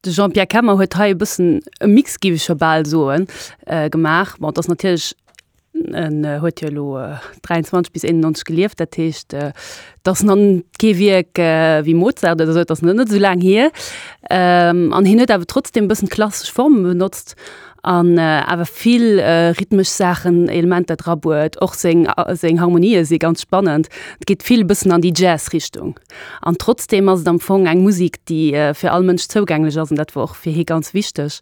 De Jean-Pierre Kemmer huet hei e bëssen e Mix, géif ech scho bal soen, gemaach. Bon, et ass natierlech, en huet jo elo 23 bis 91 gelieft, dat heescht, et ass nach kee Wierk wéi Mozart oder esou, et ass nach net esou laang hier. An hien huet awer trotzdem e bëssen d'klassesch Forme benotzt an awer vill rhythmesch Saachen, Elementer drabuet. Och seng, seng Harmonië si ganz spannend. Et geet vill e bëssen an déi Jazz-Richtung. An trotzdeem ass et am Fong eng Musik, déi fir all Mënsch zougänglech ass, an dat wor och fir hie ganz wichteg.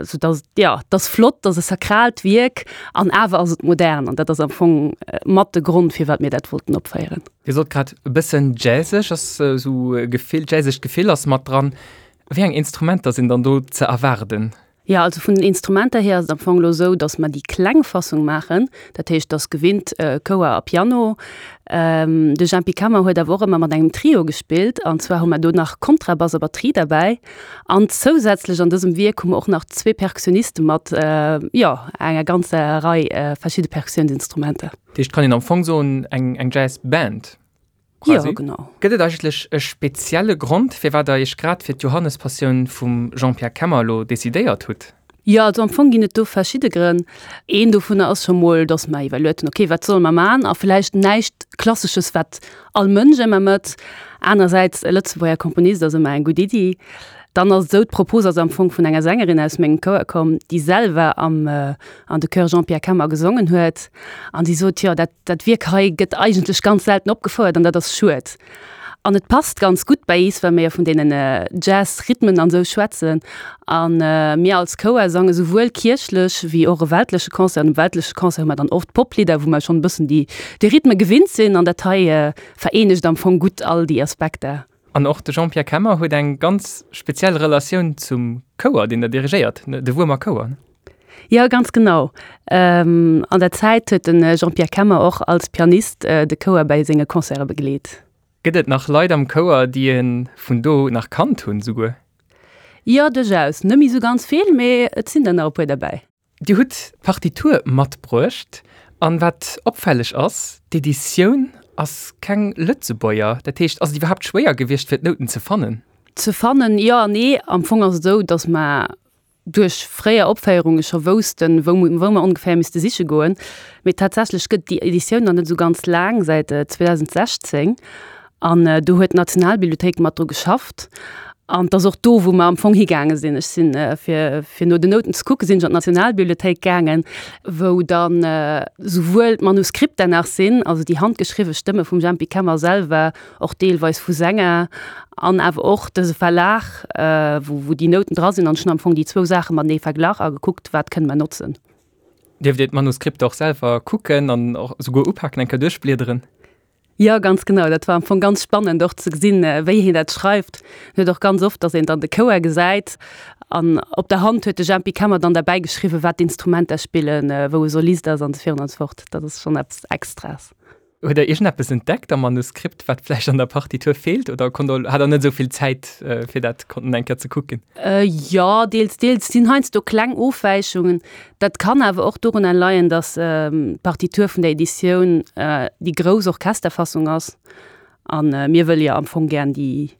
Sou dass et, jo, et ass flott, et ass e sakraalt Wierk an awer ass et modern, an dat ass am Fong mat de Grond, firwat mir dat wollten opféieren. Dir sot grad e bëssen jazzeg ass esou e Gefill, jazzegt Gefill ass mat dran. Wéi eng Instrumenter sinn dann do ze erwaarden? Jo, also vun den Instrumenter hier ass et am Fong elo esou, datt mer déi kleng Fassung maachen. Dat heescht, et ass gewinnt Chouer a Piano. De Jempy Kemmer huet awer och ëmmer mat engem Trio gespillt, an zwar hu mer do nach Kontrabass a Batterie derbäi. An zousätzlech an dësem Wierk hu mer och nach zwee Perkussioniste mat, jo, enger ganzer Rei verschidde Perkussiounsinstrumenter. Dat heescht, kann een am Fong soen, eng Jazz-Band? Quasi. Jo, genau. Gëtt et eigentlech e spezielle Grond, firwat der Iech grad fir d'Johannespassioun vum Jean-Pierre Kemmer elo decidéiert hutt? Jo, also am Fong ginn et do verschidde Grënn. Een dovunner ass scho mol, dass mer iwwerluet hunn, okay, wat solle mer maachen? A vläicht näischt Klassesches, wat all Mënsch ëmmer mécht. Anersäits, e Lëtzebuerger Komponist ass ëmmer eng gutt Iddi. Dann ass et esou, d'Propos ass am Fong vun enger Sängerin aus mengem Chouer komm, déi selwer am an de Chœur Jean-Pierre Kemmer gesongen huet. An si sot, jo, dat Dat Wierk hei gëtt eigentlech ganz selten opgefouert an dat ass schued. An et passt ganz gutt bäi is, well mir jo vun deenen Jazz-Rhythmen an esou schwätzen. A mir als Chouer sange souwuel kierchlech wéi och e weltleche Concert. An um weltleche Concert hu mer dann oft Poplidder, wou mer schonn e bëssen déi Rhythme gewinnt sinn. An dat hei vereenegt am Fong gutt all déi Aspekter. An och de Jean-Pierre Kemmer huet eng ganz speziell Relatioun zum Chouer, deen der dirigéiert, de Wuermer Chouer. Jo, ganz genau. An der Zäit huet de Jean-Pierre Kemmer och als Pianist de Chouer bäi senge Concerte begleet. Gëtt et nach Leit am Chouer, déi e vun do nach kannt hunn souguer? Jo, duerchaus. Net méi sou ganz vill, mee et sinn der nach e puer derbäi. Dir hutt d'Partitur matbruecht an wat opfälleg ass, d'Editioun ass keng Lëtzebuerger. Dat heescht, ass et iwwerhaapt schwéier gewiescht fir d'Nouten ze fannen? Ze fannen, jo an nee. Am Fong ass et esou, datt mer duerch fréier Opféierunge scho woussten, wou wou mer ongeféier misste siche goen. Mee tatsächlech gëtt déi Editioun nach net esou ganz laang, säit 2016. An do huet d'Nationalbibliothéik mat dru geschafft. An et ass och do, wou mer am Fong higaange sinn. Ech sinn, fir fir no den Nouten ze kucken, sinn ech an d'Nationalbibliothéik gaangen, wou dann souwuel d'Manuskripter nach sinn, also déi handgeschriwwe Stëmme vum Jempy Kemmer selwer, och deelweis vu Sänger, an awer och dëse Verlag, wou wou déi Nouten dra sinn. An ech hunn am Fong déi zwou Saache matenee verglach a gekuckt, wat kënne mer notzen. Dierft Dir d'Manuskripter och selwer kucken an och souguer upaken, eng Kéier duerchbliederen? Jo, ganz genau. Dat war am Fong ganz spannend och ze gesinn, wéi hien dat schreift. En huet och ganz oft, datt een dann de Chouer gesäit an op der Hand huet de Jempy Kemmer dann derbäi geschriwwen, wat d'Instrumenter spillen, wou e Solist ass an esou virun an esou fort. Dat ass schonn eppes Extraes. Huet Der iergendeppes entdeckt am Manuskript, wat vläicht an der Partitur feelt oder konnt Der, hat Der net esou vill Zäit, fir dat konnten eng Kéier ze kucken? Jo, deels, deels. Et sinn heiansdo kleng Ofwäichungen. Dat kann awer och dorunner leien, datt d'Partitur vun der Editioun déi grouss Orchesterfassung ass a mir wëlle jo am Fong gären déi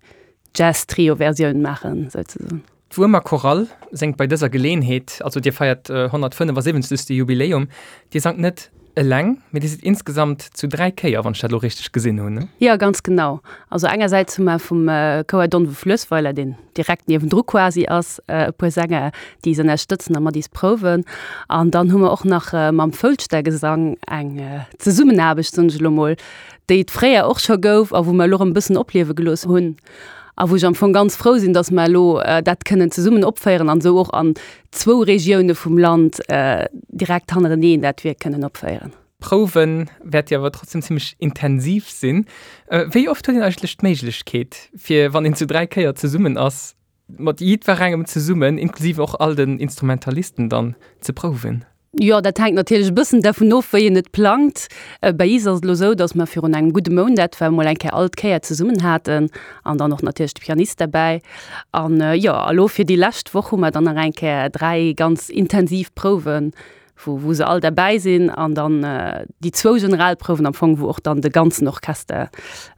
Jazz-Trio-Versioun maachen, souzesoen. D'Wuermer Chorale séngt bei dëser Geleenheet, also dir feiert 175. Jubiläum, dir sangt net eleng, mee dir sidd insgesamt zu 3 Kéier, wann ech dat elo richteg gesinn hunn, ne? Jo, ganz genau. Also engersäits hu mer vum Chouer Donwe-Fluessweiler, deen direkt niewendru quasi ass, e puer Sänger, déi is ënnerstëtzen a mat is prouwen. An dann hu mer och nach mam Foulschtergesang eng Zesummenaarbecht, soen ech elo mol, déi et fréier och scho gouf a wou mer elo erëm e bëssen opliewe gelooss hunn a wou ech am Fong ganz frou sinn, dass mer elo dat kënnen zesummen opféieren an esou och an zwou Regioune vum Land direkt hannereneen dat Wierk kënnen opféieren. D'Prouwe wäert jo awer trotzdem zimmlech intensiv sinn. Wéi oft huet een eigentlech d'Méiglechkeet, fir, wann een zu 3 Kéier zesummen ass, mat jiddwerengem zesummen, inklusiv och all den Instrumentalisten dann, ze prouwen? Jo, dat hänkt natierlech e bëssen dervun of, wéi een et plangt. Bäi is ass et elo esou, datt mer virun engem gudde Mount etwa emol eng Kéier all d'Kéier zesummen haten an dann och natierlech de Pianist derbäi. An jo, a lo fir déi lescht Woch hu mer dann nach eng Kéier 3 ganz intensiv Prouwen, wou wou se all derbäi sinn an dann déi zwou Generalprouwen am Fong, wou och dann de ganzen Orchester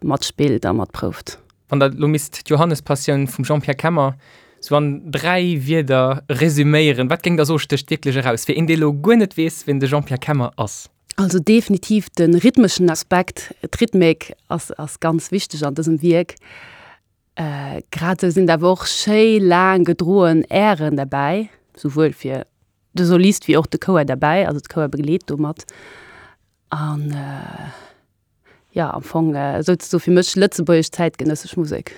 matspillt a matprouft. Wann Der elo misst d'Johannespassioun vum Jean-Pierre Kemmer. Sou an 3 Wierder resüméieren, wat géing der soe stécht wierklech eraus, fir een dee lo guer net weess wien de Jean-Pierre Kemmer ass? Also definitiv de rhythmeschen Aspekt, d'Rhythmik ass ass ganz wichteg an dësem Wierk. Grad esou sinn et awer och schéi laang gedroen Airen derbäi, souwuel fir de Solist wéi och de Chouer derbäi, also de Chouer begleet do mat. An jo, am Fong souzesoe fir mech lëtzebuergesch zäitgenëssesch Musek.